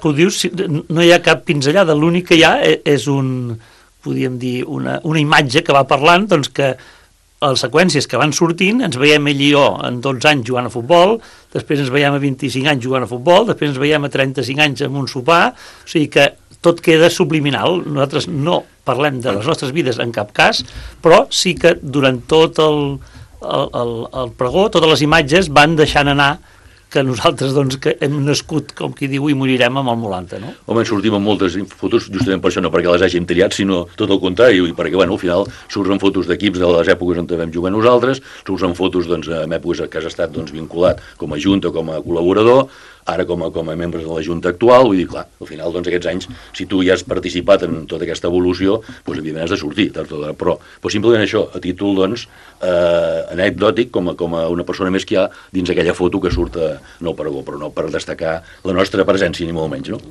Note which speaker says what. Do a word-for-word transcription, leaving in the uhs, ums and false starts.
Speaker 1: que ho dius, no hi ha cap pinzellada, l'únic que hi ha és un, podríem dir, una, una imatge que va parlant, doncs que a les seqüències que van sortint, ens veiem ell i jo en dotze anys jugant a futbol, després ens veiem a vint-i-cinc anys jugant a futbol, després ens veiem a trenta-cinc anys amb un sopar, o sigui que tot queda subliminal. Nosaltres no parlem de les nostres vides en cap cas, però sí que durant tot el, el, el, el pregó, totes les imatges van deixant anar que nosaltres, doncs, que hem nascut, com qui diu, i morirem amb el Molanta, no?
Speaker 2: Home, en sortim amb moltes fotos, justament per això, no perquè les hàgim triat, sinó tot el contrari, i perquè, bueno, al final surten fotos d'equips de les èpoques on vam jugar nosaltres, surten fotos, doncs, en èpoques que has estat, doncs, vinculat com a junta, com a col·laborador, ara com a, com a membres de la Junta actual, vull dir, clar, al final, doncs, aquests anys, si tu ja has participat en tota aquesta evolució, doncs, evidentment, has de sortir, però, però simplement això, a títol, doncs, eh, anecdòtic, com a, com a una persona més que hi ha dins aquella foto que surt en el pregó, però no per destacar la nostra presència, ni molt menys, no?